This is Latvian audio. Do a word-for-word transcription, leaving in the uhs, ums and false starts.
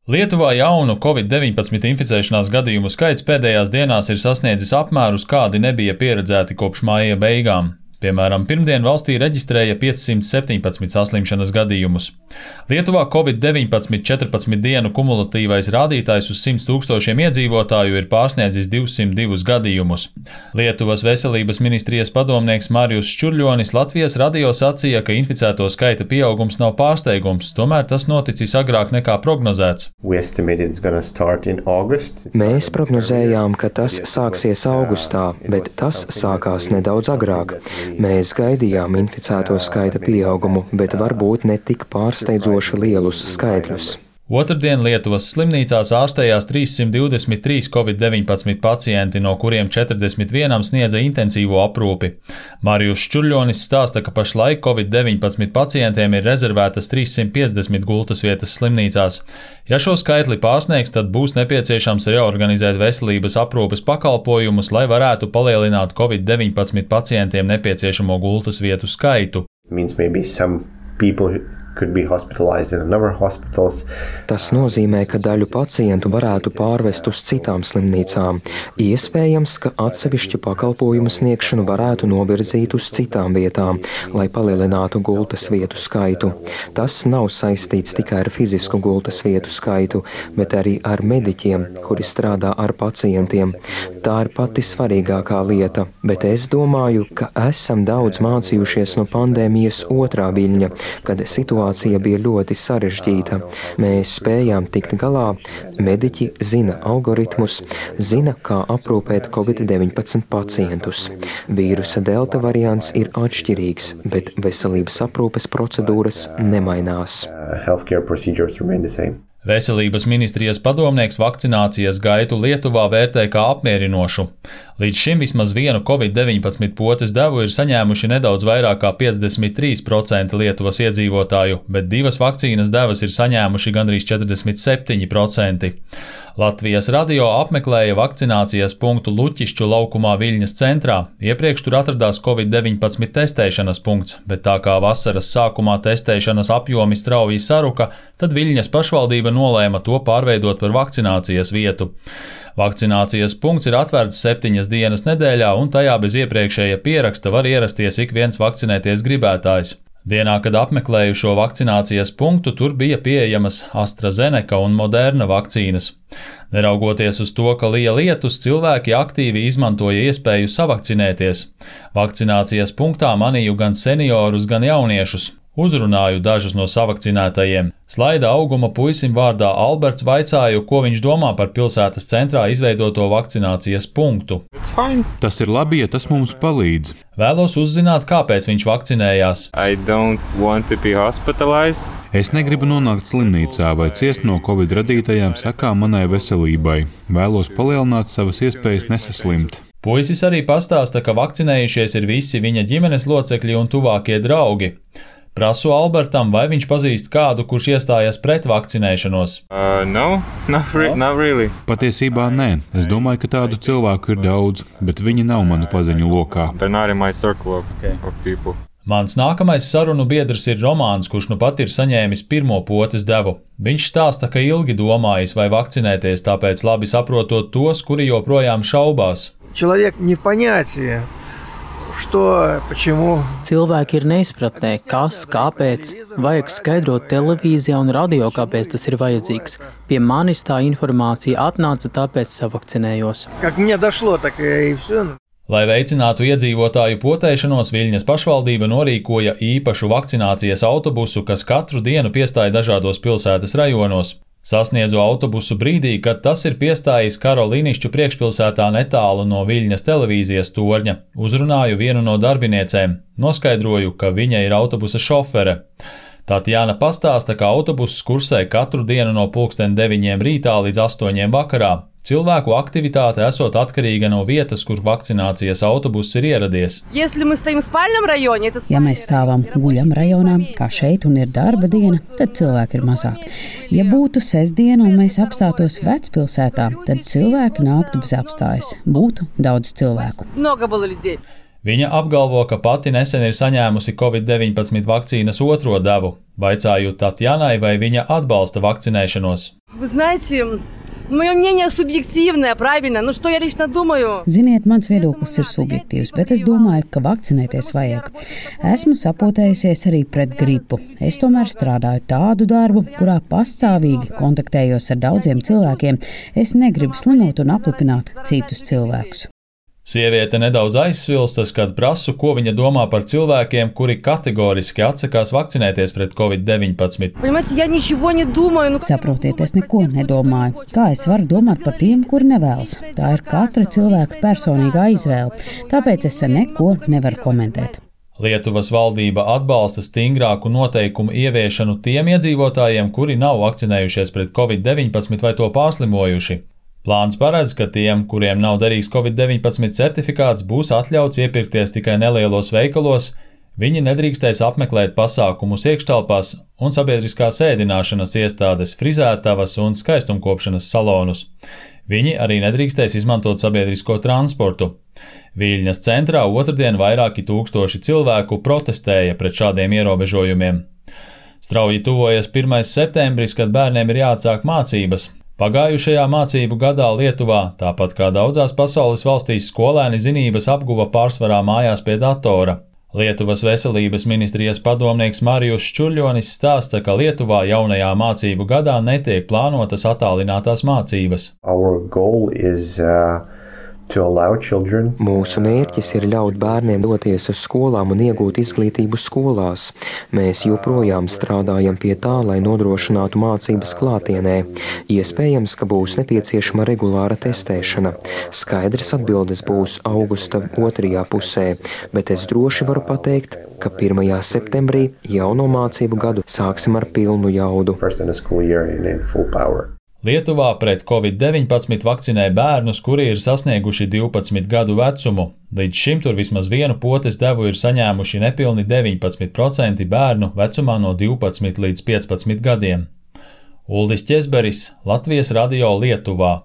Lietuvā jaunu covid deviņpadsmit inficēšanās gadījumu skaits pēdējās dienās ir sasniedzis apmērus, kādi nebija pieredzēti kopš māja beigām. Piemēram, pirmdien valstī reģistrēja piecsimt septiņpadsmit saslimšanas gadījumus. Lietuvā covid deviņpadsmit četrpadsmit dienu kumulatīvais rādītājs uz simts tūkstošiem iedzīvotāju ir pārsniedzis divsimt divus gadījumus. Lietuvas veselības ministrijas padomnieks Marijus Ščurļonis Latvijas radio sacīja, ka inficēto skaita pieaugums nav pārsteigums, tomēr tas noticis agrāk nekā prognozēts. Mēs prognozējām, ka tas sāksies augustā, bet tas sākās nedaudz agrāk. Mēs gaidījām inficēto skaita pieaugumu, bet varbūt ne tik pārsteidzoši lielus skaitļus. Otrdien Lietuvas slimnīcās ārstējās trīssimt divdesmit trīs covid deviņpadsmit pacienti, no kuriem četrdesmit vienam sniedza intensīvo aprūpi. Marijus Ščurļonis stāsta, ka pašlaik covid deviņpadsmit pacientiem ir rezervētas trīssimt piecdesmit gultas vietas slimnīcās. Ja šo skaitli pārsniegs, tad būs nepieciešams reorganizēt veselības aprūpes pakalpojumus, lai varētu palielināt covid deviņpadsmit pacientiem nepieciešamo gultas vietu skaitu. Tas nozīmē, ka daļu pacientu varētu pārvest uz citām slimnīcām. Iespējams, ka atsevišķu pakalpojumu sniegšanu varētu novirzīt uz citām vietām, lai palielinātu gultas vietu skaitu. Tas nav saistīts tikai ar fizisku gultas vietu skaitu, bet arī ar mediķiem, kuri strādā ar pacientiem. Tā ir pati svarīgākā lieta, bet es domāju, ka esam daudz mācījušies no pandēmijas otrā viļņa, kad situācija Situācija bija ļoti sarežģīta. Mēs spējām tikt galā, mediķi zina algoritmus, zina, kā aprūpēt covid deviņpadsmit pacientus. Vīrusa delta variants ir atšķirīgs, bet veselības aprūpes procedūras nemainās. Veselības ministrijas padomnieks vakcinācijas gaitu Lietuvā vērtē kā apmierinošu. Līdz šim vismaz vienu covid deviņpadsmit potes devu ir saņēmuši nedaudz vairāk kā piecdesmit trīs procenti Lietuvas iedzīvotāju, bet divas vakcīnas devas ir saņēmuši gandrīz četrdesmit septiņi procenti. Latvijas radio apmeklēja vakcinācijas punktu Luķišķu laukumā Viļņas centrā. Iepriekš tur atradās covid deviņpadsmit testēšanas punkts, bet tā kā vasaras sākumā testēšanas apjomi strauji saruka, tad Viļņas pašvaldība nolēma to pārveidot par vakcinācijas vietu. Vakcinācijas punkts ir atvērts septiņas dienas nedēļā, un tajā bez iepriekšēja pieraksta var ierasties ik viens vakcinēties gribētājs. Dienā, kad apmeklēju šo vakcinācijas punktu, tur bija pieejamas AstraZeneca un Moderna vakcīnas. Neraugoties uz to, ka lija lietus, cilvēki aktīvi izmantoja iespēju savakcinēties. Vakcinācijas punktā manīju gan seniorus, gan jauniešus. Uzrunāju dažus no savakcinētajiem. Slaida auguma puisim vārdā Alberts vaicāju, ko viņš domā par pilsētas centrā izveidoto vakcinācijas punktu. Tas ir labi, ja tas mums palīdz. Vēlos uzzināt, kāpēc viņš vakcinējās. Es negribu nonākt slimnīcā vai ciest no covid radītajām sekām manai veselībai. Vēlos palielināt savas iespējas nesaslimt. Puisis arī pastāsta, ka vakcinējušies ir visi viņa ģimenes locekļi un tuvākie draugi. Prasu Albertam, vai viņš pazīst kādu, kurš iestājas pret vakcinēšanos. Uh, no, not re- not really. Patiesībā nē. Es domāju, ka tādu cilvēku ir daudz, bet viņi nav manu paziņu lokā. They're not in my circle of, okay. of people. Mans nākamais sarunu biedrs ir Romāns, kurš nu pat ir saņēmis pirmo potes devu. Viņš stāsta, ka ilgi domājis, vai vakcinēties, tāpēc labi saprotot tos, kuri joprojām šaubās. Человек не в понятии. Что, почему? Cilvēki ir neizpratnē, kas, kāpēc. Vajag skaidrot televīzijā un radio, kāpēc tas ir vajadzīgs. Pie manis tā informācija atnāca, tāpēc savakcinējos. Как мне дошло, так и все. Lai veicinātu iedzīvotāju potēšanos, Viļņas pašvaldība norīkoja īpašu vakcinācijas autobusu, kas katru dienu piestāja dažādos pilsētas rajonos. Sasniedzu autobusu brīdī, kad tas ir piestājis Karolīnišķu priekšpilsētā netālu no Viļņas televīzijas torņa. Uzrunāju vienu no darbiniecēm. Noskaidroju, ka viņa ir autobusa šofere. Tatjana pastāsta, ka autobuss kursē katru dienu no pulksten deviņiem rītā līdz astoņiem vakarā. Cilvēku aktivitāte esot atkarīga no vietas, kur vakcinācijas autobuss ir ieradies. Ja mēs stāvam guļam rajonā, kā šeit, un ir darba diena, tad cilvēki ir mazāk. Ja būtu sestdiena un mēs apstātos vecpilsētā, tad cilvēki nāktu bez apstājas. Būtu daudz cilvēku. Viņa apgalvo, ka pati nesen ir saņēmusi covid deviņpadsmit vakcīnas otro devu, vaicājot Tatjanai, vai viņa atbalsta vakcinēšanos. Ziniet, mans viedoklis ir subjektīvs, bet es domāju, ka vakcinēties vajag. Esmu sapotējusies arī pret gripu. Es tomēr strādāju tādu darbu, kurā pastāvīgi kontaktējos ar daudziem cilvēkiem. Es negribu slimot un aplipināt citus cilvēkus. Sieviete nedaudz aizsvilstas, kad prasu, ko viņa domā par cilvēkiem, kuri kategoriski atsakās vakcinēties pret covid deviņpadsmit. Saprotiet, es neko nedomāju. Kā es varu domāt par tiem, kuri nevēlas? Tā ir katra cilvēka personīgā izvēle, tāpēc es neko nevaru komentēt. Lietuvas valdība atbalsta stingrāku noteikumu ieviešanu tiem iedzīvotājiem, kuri nav vakcinējušies pret covid deviņpadsmit vai to pārslimojuši. Plāns paredz, ka tiem, kuriem nav derīgs covid deviņpadsmit certifikāts, būs atļauts iepirkties tikai nelielos veikalos, viņi nedrīkstēs apmeklēt pasākumus iekštelpās un sabiedriskās ēdināšanas iestādes, frizētavas un skaistumkopšanas salonus. Viņi arī nedrīkstēs izmantot sabiedrisko transportu. Viļņas centrā otrdien vairāki tūkstoši cilvēku protestēja pret šādiem ierobežojumiem. Strauji tuvojas pirmais septembris, kad bērniem ir jāatsāk mācības. Pagājušajā mācību gadā Lietuvā, tāpat kā daudzās pasaules valstīs, skolēni zinības apguva pārsvarā mājās pie datora. Lietuvas veselības ministrijas padomnieks Marijus Ščurļonis stāsta, ka Lietuvā jaunajā mācību gadā netiek plānotas attālinātās mācības. Our goal is, uh... Mūsu mērķis ir ļaut bērniem doties uz skolām un iegūt izglītību skolās. Mēs joprojām strādājam pie tā, lai nodrošinātu mācības klātienē. Iespējams, ka būs nepieciešama regulāra testēšana. Skaidrs atbildes būs augusta otrajā pusē, bet es droši varu pateikt, ka pirmajā septembrī jauno mācību gadu sāksim ar pilnu jaudu. Lietuvā pret covid deviņpadsmit vakcinē bērnus, kuri ir sasnieguši divpadsmit gadu vecumu. Līdz šim tur vismaz vienu potes devu ir saņēmuši nepilni deviņpadsmit procenti bērnu vecumā no divpadsmit līdz piecpadsmit gadiem. Uldis Ķezberis, Latvijas radio Lietuvā.